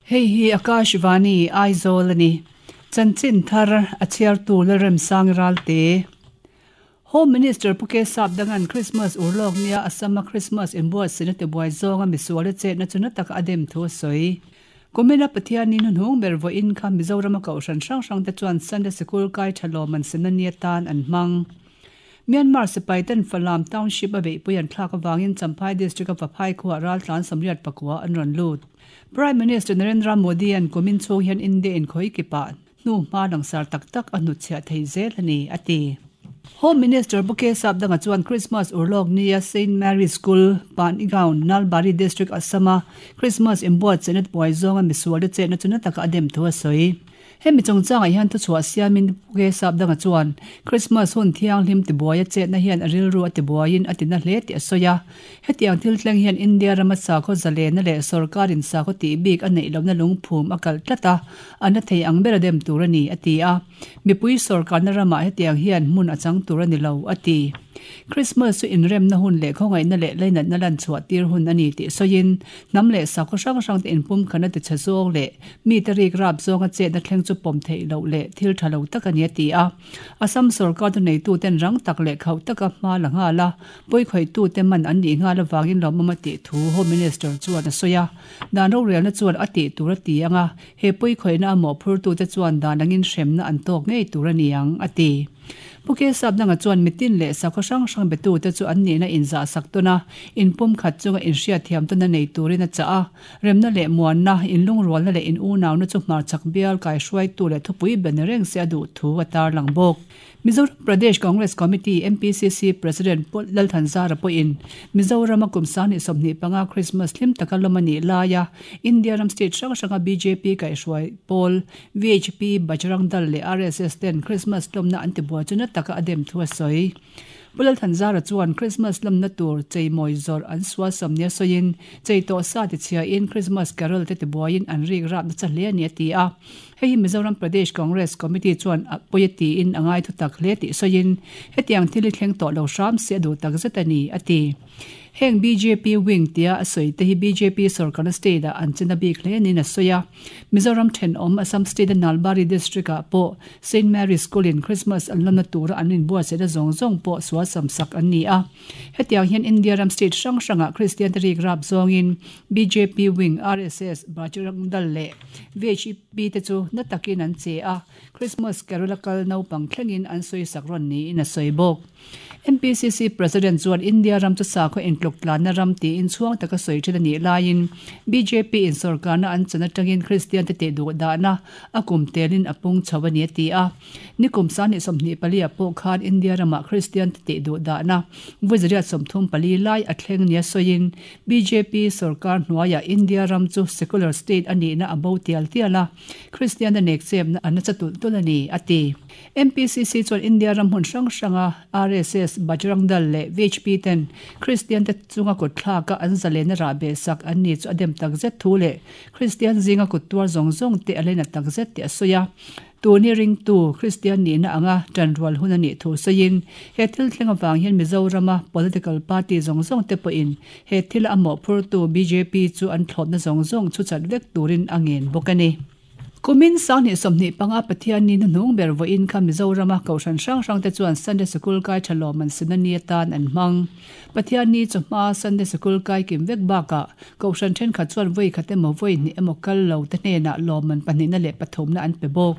Hei hi Akashvani, Aizawl a ni. Chanchin thar a chhiartu Lalremsang Ralte. Home Minister Pu Kesap Dangan Christmas urlawk nia Assam-a Christmas inbuatsaihna tibuai zawnga misual a chetna chu na taka a dem thu a sawi. Kumina Pathianin hnuhnung ber vawiin kha Mizorama kohhran hrang hrangte chuan Sunday Sikul kai tha lawm an semna ni atan an hmang. Myanmar sipai ten Falam Township a beihpui an thlak avangin Champhai District a Vaphai khuaah raltlan 84 an rawn lut. Prime Minister Narendra Modi an kumin chhung hian India in khawi kipah hnu hma langsar tak tak a hnutchhiah thei zel a ni, a ti. Home Minister Pu K Sapdanga chuan Christmas urlawk nia Saint Mary School, Panigaon, Nalbari District, Assam-a Christmas inbuatsaihna buai zawnga misualte chetna chu na taka a dem thu a sawi. Hemi chungchangah hian thuchhuah siamin Pu K Sapdanga chuan Christmas hun thianghlim tibuaia chetna hian a rilru a tibuaiin a tina hle tih a sawi a. Hetiang thil thleng hian India rama sakhaw zalena leh sorkarin sakhaw tih bik a neih lohna lungphum a kalh tlat a, a na thei ang ber a dem tur a ni, a ti a. Mipui sorkarna ramah hetiang hian hmun a chang tur a ni lo, a ti. Christmas chu inremna hun leh khawngaihna leh lainatna lan chhuah tir hun a ni tih sawiin, hnam leh sakhaw hrang hrangte inpumkhatna tichhe zawng leh mite rik rap zawnga chetna thleng chu pawm theih loh leh thil tha lo tak a ni, a ti a. Assam sorkar thuneituten rang tak leh khauh taka hma la nghal a, Pawikhawih-tute man an nih nghal avangin lawmawm a tih thu Home Minister chuan a sawi a. Dan rorelna chuan a tih tur a ti ang a, he pawikhawihna a mawhphurtute chuan dan angin hremna an tawk ngei tur a ni ang, a ti. Pu Kesapnanga chuan mitin leh sakhaw hrang hrang betute chu an nihna inzahsak tawn a, inpumkhat chunga inhriatthiam tawna nei turin a chah a. Remna leh muanna, inlungrualna leh in-unauna chu hmarchhak bial kaihruaitu leh thupui ber ni reng se a duh thu a tarlang bawk. Mizoram Pradesh Congress Committee, MPCC, President Pu Lalthanzara pawhin Mizorama kum 2025 Christmas hlim taka lawm a nih laia India ram state hrang hranga bjp kaihhruai pawl VHP, Bajrang Dal leh RSS ten Christmas lawmna an tibuai chu na taka a dem thu a sawi. Pu Lalthanzara chuan Christmas lawmna tur cheimawi zawrh an sualsam nia sawiin chei tawh sa tichhiain Christmas carol te tibuaiin an rik rapna cha hle a ni a ti a. Hei hi Mizoram Pradesh Congress Committee chuan a pawi a tiin a ngai thutak hle tih sawiin, hetiang thil hi thleng tawh lo hram se a duh tak zet a ni, a ti. Heng bjp wing tia a sawi te hi bjp sorkarna state-ah an chena bik hle niin a sawi a. Mizoram thenawm Assam state-a Nalbari district-ah pawh Saint Mary School-in Christmas an lamna tura an inbuatsaihna zawng zawng pawh sual samsak an ni a. Hetiang hian India ram state hrang hrangah Kristian-te rik rap zawngin bjp wing, RSS, Bajrang Dal leh VHP te chu na takin an che a, Christmas carol a kal naupang thlengin an sawisak rawn niin a sawi bawk. MPCC President chuan India ram chu sakhaw intluk tlanna ram tiin chhuang taka sawi thin a nih laiin bjp in sorkarna an chan atangin Kristian te tih duh dahna a kum telin a pung chho a ni a ti a. Nikum 2024 ah pawh khan India ramah Kristian te tih duh dahna vawi 134 lai a thleng nia sawiin Bjp sorkar hnuaiah India ram chu secular state a nihna a bo tial tial a, Kristianna nekchepna a nasa tulh tulh a ni, a ti. MPCC chuan India ram hmun hrang hranga RSS, Bajrang Dal leh VHP ten Kristiante chunga kutthlaka an zalenna rahbehsak an ni chu a dem takzet thu leh Kristian zinga kut tuar zawng zawng te a lena takzet tih a sawi a. Tuni ringtu Kristian nihna anga ṭanrual hun a nih thu sawiin, he thil thleng avang hian Mizorama political party zawng zawng te pawhin he thila a mawhphurtu bjp chu an thlawpna zawng zawng chhu chat vek turin a ngen bawk a ni. Kumin 2025 Pathianni hnuhnung ber vawiin kha Mizorama kohhran hrang hrang te chuan Sunday Sikul kai tha lawm an sina ni atan an hmang. Pathianni chawhma Sunday Sikul kai kim vek bakah Kohhran thenkhat chuan vawi khat emaw vawi hnih emaw kal lo te hnenah lawmman pahnihna leh pathumna an pe bawk.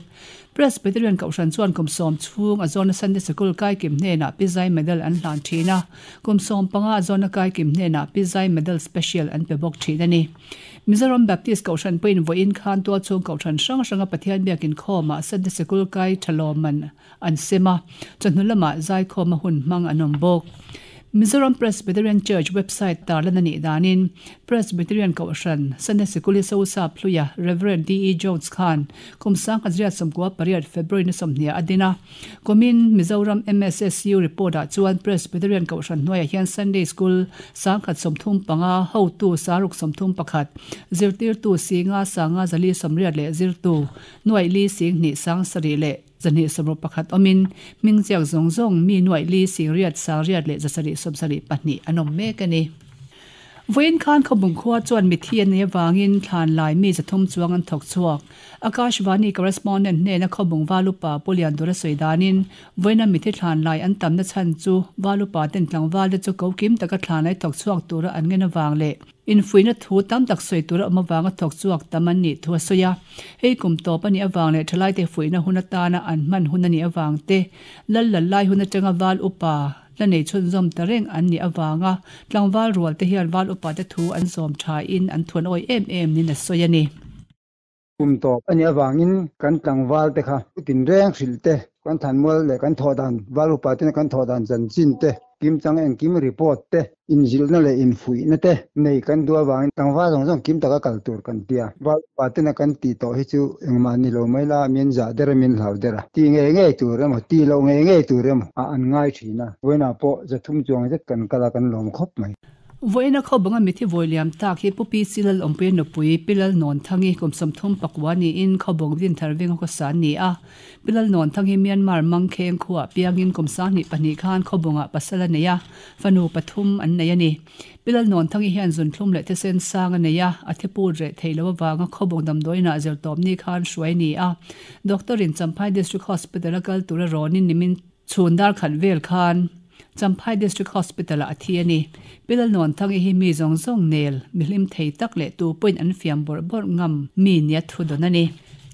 Presbyterian Kohhran chuan kum sawm chhung a zawna Sunday Sikul kaikim hnenah Pi Zai Medal an hlan thin a, kum 15 a zawna kaikim hnenah Pi Zai Medal Special an pe bawk thin a ni. Mizoram Baptist Kohhran pawhin vawiin khan tualchhung Kohhran hrang hranga Pathian biakin khawmah Sunday Sikul kai tha lawmman an sem a, chawhnu lamah zaikhawma hun hmang an awm bawk. Mizoram Presbyterian Church website tarlan a nih danin Presbyterian Kohhran Sunday Sikul hi Sosa Phluia Rev. D. E. Jones khan kum 1998 February ni 20 a din a. Kumin Mizoram MSSU report ah chuan Presbyterian Kohhran hnuaiah hian Sunday School 135, hotu 631, zirtirtu 5 5 480 leh zirtu nuaih li 2 7 leh 271 awmin hming chiak zawng zawng mi nuaih li 8 8 leh 772 an awm mek a ni. Vawiin khan Khawbung khua chuan mithi an nei avangin thlan lai mi 300 chuang an thawk chhuak. Akashvani correspondent hnena Khawbung Valupa Pu Liandura sawi danin vawiina mithi thlan lai an tamna chhan chu Valupa ten tlangval te chu ko kim taka thlan lai thawk chhuak tura an ngen avang leh infuihna thu tam tak sawi tura awm avanga thawk chhuak tam an nih thu a sawi a. Hei kum tawp a nih avang leh thalaite fuihna hun atana an hman hun a nih avang te lal lal lai hun atanga val upa la nei chhunzawm ta reng an nih avanga tlangval rual te hian val upa te thu an zawm tha in an thuan awi em em niin a sawi a ni. Kum tawp a nih avangin kan tlangval te kha tin reng hrilh te, kan thanmual leh kan thawh dan, val upa tena kan thawh dan chanchin te, kimchang engkim report te, inzilhna leh infuihna te nei kan duh avangin tlangval zawng zawng kim taka kal tur kan tia. Val upa tena kan tih tawh hi chu engmah ni lo mai la, min zah der a, min hlau der a, ti ngei ngei tur emaw, ti loh ngei ngei tur emaw ah an ngai thin a. Vawiinah pawh 300 chuang zet kan kal a, kan lawm khawp mai. Vawiina Khawbanga mithi vawi liam tak hi Pu Pi Silal Awmpuia nupui Pi Lal Nawnthangi kum 34 niin Khawbung Dinthar Venga khawsa an ni a. Pi Lal Nawnthangi Myanmar Mangkheng khuaah piangin kum 22 khan Khawbungah pasal a nei a, fanu pathum an nei a ni. Pi Lal Nawnthangi hian zunthlum leh thisen sang a nei a, a thiput reh thei lo avanga Khawbung damdawiinah zirtawpni khan hruai a ni a. Doctor-in Champhai District Hospital-a kal tura rawnin nimin Chhun dar khat vel khan Champhai District Hospital-ah a thi a ni. Pi Lalnuanthangi hi mi zawng zawng nel, mi hlim thei tak leh tu pawhin an fiam bawrh bawrh ngam mi nia thu dawn a ni.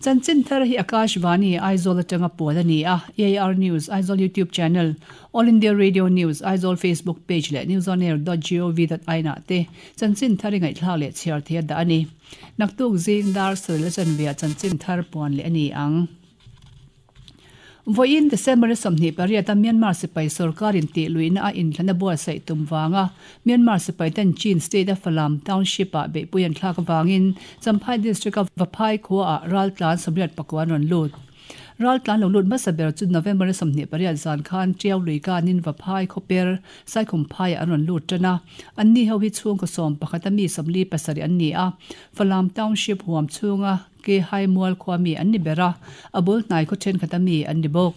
Chanchin thar hi Akashvani, Aizawl atanga puan a ni a, AIR News, Aizawl YouTube Channel, All India Radio News, Aizawl Facebook Page leh newsonair.gov.in ah te chanchin thar i ngaihthlak leh chhiar thei a dah a ni. Naktuk zing dar sawi la chanveah chanchin thar puan leh a ni ang. Vawiin December 28 a Myanmar sipai sorkarin tih luihna a inthlan a buatsaih tum vanga Myanmar sipai ten Chin state a Falam township ah beihpui an thlak avangin Champhai district a Vaphai khua ah raltlan 84 an rawn lut. Raltlan lo lut hmasa ber chu November 28 zan khan Tiau lui kanin Vaphai khawper Saikhumphai ah an rawn lut tan a. Anni ho hi chhungkaw 11 a mi 47 an ni a, Falam township huam chhunga Ke hai mual khua mi an ni ber a, a bul hnai khaw thenkhat a mi an ni bawk.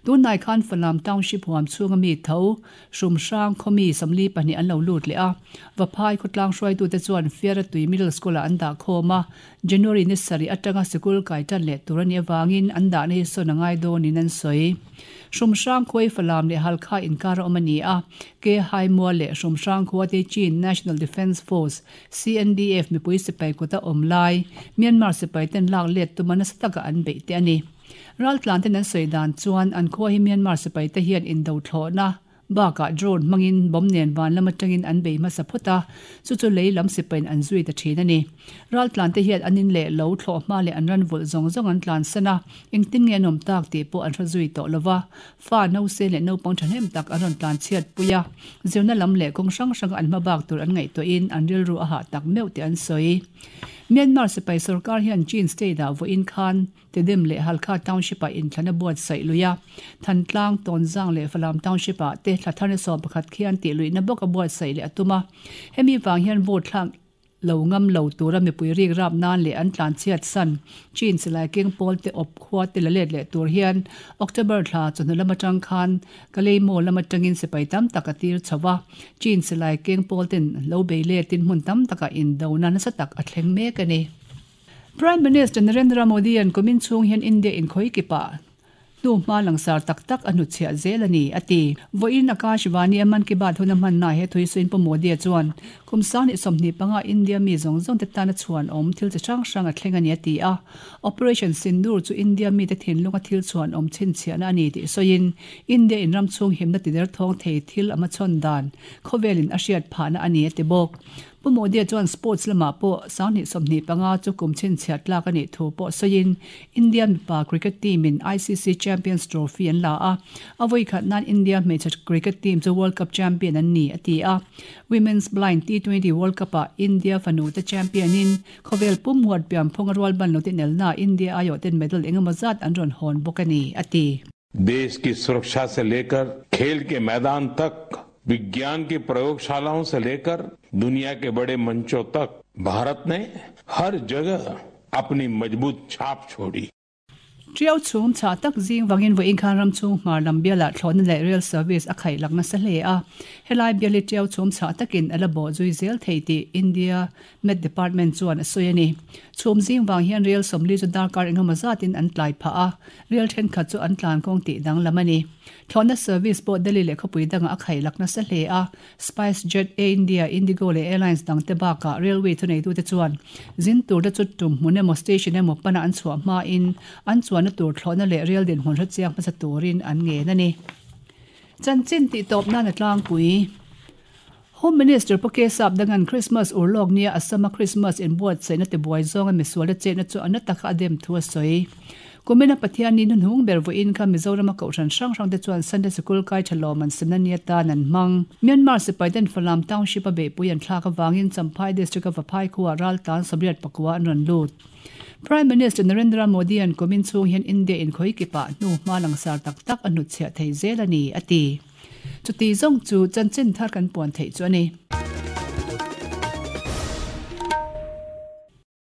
Tunhnai khan Falam Township huam chhunga mi tho, Hrumhrang khaw mi 42 an lo lut leh a. Vaphai khawtlang hruaitute chuan Fiara Tui Middle School-ah an dah khawm a, January ni sarih atanga sikul kai tan leh tur a nih avangin an dahna hi sawn a ngai dawnin an sawi. Hrumhrang khua hi Falam leh Halkha inkar a awm a ni a, Ke hai mual leh Hrumhrang khua te Chin National Defence Force, CNDF mipui sipai kuta awm lai Myanmar sipai ten lak let tuma nasa taka an beih te a ni. Raltlan ten an sawi dan chuan an khua hi Myanmar sipai te hian indo thlawhna bakah drone hmangin bomb nen van lam atangin an bei hmasa phawt a, chu chu lei lam sipaiin an zui ta thin a ni. Raltlan te hian an in leh lo thlawh hma leh an ran vulh zawng zawng an tlan san a, engtin nge an awm tak tih pawh an hre zui tawh lova. Fa nause leh naupang thahnem tak an rawn tlan chhiat pui a, zirna lam leh kawng hrang hranga an hmabak tur an ngaihtuahin an rilru a hah tak meuh tih an sawi. Myanmar sipai sorkar hian Chin state-ah vawiin khan Tedim leh Halkha Township-ah inthlan a buatsaih lui a, Thantlang, Tawnzang leh Falam Township-ah te thla thar ni 11 khian tih luihna bawk a buatsaih leh a tum a, hemi vang hian vote thlak Lo ngam lo tura mipui rik rap nan leh an tlan chhiat san Chin silai keng pawl te awp khua te la let leh tur hian October thla chawhnu lam atang khan Kalaymawh lam atangin sipai tam tak a tir chho a, Chin silai keng pawl ten lo bei letin hmun tam takah indona nasa tak a thleng mek a ni. Prime Minister Narendra Modi-a'n kumin chhung hian India inkhawi kipah Hnu hma langsar tak tak a hnutchhiah zel a ni, a ti. Vawiin Akashvani a Mann Ki Baat hun a hmanna he thuisuin Pu Modi-a chuan, Kum 2025 India mi zawng zawng te tana chhuanawm thil chi hrang hrang a thleng a ni, a ti a. Operation Sindoor chu India mite thinlunga thil chhuanawm chhinchhiahna a ni tih sawiin, India in ram chhung himna tider thawng thei thil a hmachhawn dan khawvelin a hriat phahna a ni, a ti bawk. Pu Modi-a chuan sports lamah pawh 2025 chu kum chhinchhiah tlak a nih thu pawh sawiin India mipa cricket team-in ICC Champions Trophy an la a, a vawikhat nan India hmeichhe cricket team chu World Cup champion an ni, a ti a. Women's Blind T20 World Cup-ah India fanute champion-in khawvel pum huat pianphung a rual ban lo tinelnaah India aiawhten medal engemaw zat an rawn hawn bawk a ni, a ti. देश की सुरक्षा से लेकर खेल के मैदान तक विज्ञान की प्रयोगशालाओं से लेकर दुनिया के बड़े मंचों तक भारत ने हर जगह अपनी मजबूत छाप छोड़ी। Tiau chhum chhah tak zing vangin vawiin khan ram chhung hmar lam bialah thlawhna leh rail service a khaih lak nasa hle a. Helai bial hi tiau chhum chhah takin a la bawh zui zel thei tih India Met Department chuan a sawi a ni. Chhum zing vang hian rail sawmli chu darkar engemaw zatin an tlai phah a, rail thenkhat chu an tlan kawng tih danglam a ni. Thlawhna service pawh Delhi leh khawpui dangah a khaih lak nasa hle a. SpiceJet, Air India, Indigo leh airlines dangte bakah railway thuneitute chuan zin turte chu tum hmun emaw station emaw pana an chhuah hmain an chuanna tur thlawhna leh rail dinhmun hrechiang hmasa turin an ngen a ni. Chanchin tihtawp nan a tlangpui. Home Minister Pu K Sapdangan Christmas urlawk nia Assam-a Christmas inbuatsaihna tibuai zawnga misuala chetna chu a na taka a dem thu a sawi. Kumina Pathianni hnuhnung ber vawiin kha Mizorama kohhran hrang hrangte chuan Sunday Sikul kai tha lawm an semna ni atan an hmang. Myanmar sipaiten Falam Township-a beihpui an thlak avangin Champhai District-a Vaphai khuaah raltlan Sawmriat pakua an rawn lut. Prime Minister Narendra Modi-a'n kumin chhung hian India inkhawih kipah hnu hma langsar tak tak a hnutchhiah thei zel a ni, a ti. Chuti zawng chu chanchin thar kan puan theih chu a ni.